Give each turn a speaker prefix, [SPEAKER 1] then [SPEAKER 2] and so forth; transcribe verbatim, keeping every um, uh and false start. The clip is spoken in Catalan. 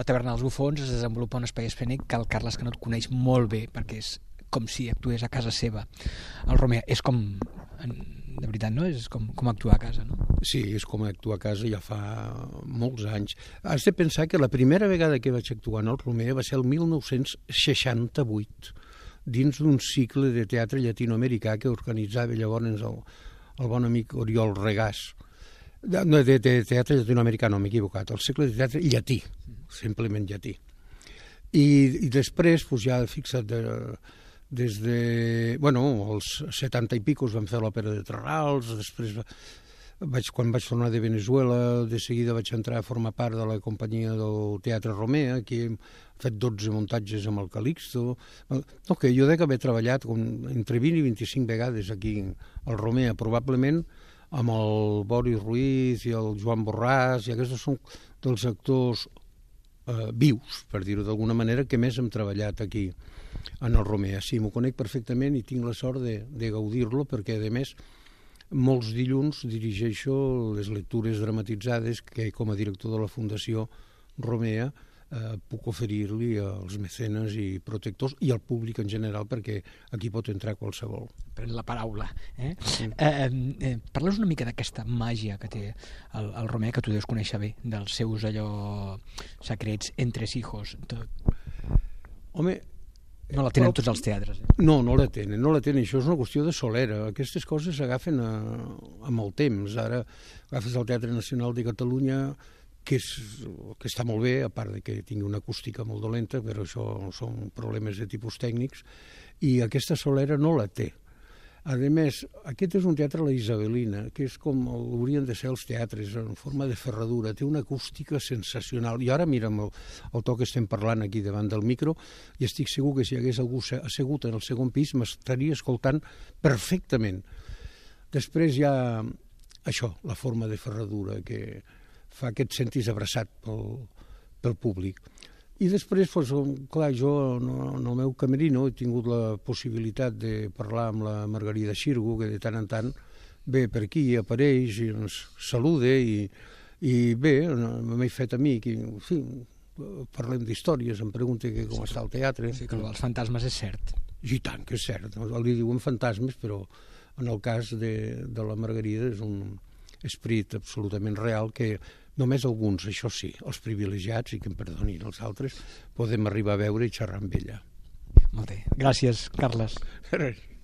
[SPEAKER 1] la Taverna dels Bufons es desenvolupa un espai escènic que el Carles Canut coneix molt bé, perquè és com si actués a casa seva. El Romea és com, de veritat, no? És com, com actuar a casa, no?
[SPEAKER 2] Sí, és com actuar a casa ja fa molts anys. Has de pensar que la primera vegada que vaig actuar en el Romea va ser el mil nou-cents seixanta-vuit, dins d'un cicle de teatre llatinoamericà que organitzava llavors el, el bon amic Oriol Regàs. No, de, de teatre llatinoamericà, no, m'he equivocat, el cicle de teatre llatí, simplement llatí. I, i després, doncs ja fixa't, de, des de, bueno, els setanta i picos vam fer l'òpera de Terrals, després vaig, quan vaig tornar de Venezuela, de seguida vaig entrar a formar part de la companyia del Teatre Romea, que hem fet dotze muntatges amb el Calixto. No, que jo dec haver treballat entre vint i vint-i-cinc vegades aquí al Romea, probablement amb el Boris Ruiz i el Joan Borràs, i aquests són dels actors eh, vius, per dir-ho d'alguna manera, que més hem treballat aquí en el Romea. Sí, m'ho conec perfectament i tinc la sort de, de gaudir-lo, perquè, a més, molts dilluns dirigeixo les lectures dramatitzades que, com a director de la Fundació Romea, eh, puc oferir-li als mecenes i protectors i al públic en general, perquè aquí pot entrar qualsevol.
[SPEAKER 1] Pren la paraula. Eh? Sí. Eh, eh, Parles una mica d'aquesta màgia que té el, el Romea, que tu deus conèixer bé, dels seus allò secrets entresijos. Tot.
[SPEAKER 2] Home,
[SPEAKER 1] no la tenen però, tots els teatres. Eh?
[SPEAKER 2] No, no la tenen, no la tenen. Això és una qüestió de solera. Aquestes coses s'agafen a, amb el temps. Ara agafes el Teatre Nacional de Catalunya, que, és, que està molt bé, a part de que tingui una acústica molt dolenta, però això són problemes de tipus tècnics, i aquesta solera no la té. A més, aquest és un teatre a la Isabelina, que és com haurien de ser els teatres, en forma de ferradura, té una acústica sensacional. I ara, mira, amb el, el to que estem parlant aquí davant del micro, i estic segur que si hi hagués algú assegut en el segon pis m'estaria escoltant perfectament. Després hi ha això, la forma de ferradura, que fa que et sentis abraçat pel, pel públic. I després, doncs, clar, jo en el meu camerino he tingut la possibilitat de parlar amb la Margarida Xirgu, que de tant en tant ve per aquí, apareix i ens saluda, i, i bé, m'he fet amic, i en fi, parlem d'històries, em pregunta que com sí, està el teatre.
[SPEAKER 1] Sí, que els fantasmes és cert.
[SPEAKER 2] I tant que és cert, li diuen fantasmes, però en el cas de, de la Margarida és un esperit absolutament real que només alguns, això sí, els privilegiats, i que em perdonin els altres, podem arribar a veure i xerrar amb ella.
[SPEAKER 1] Molt bé. Gràcies, Carles.
[SPEAKER 2] Res.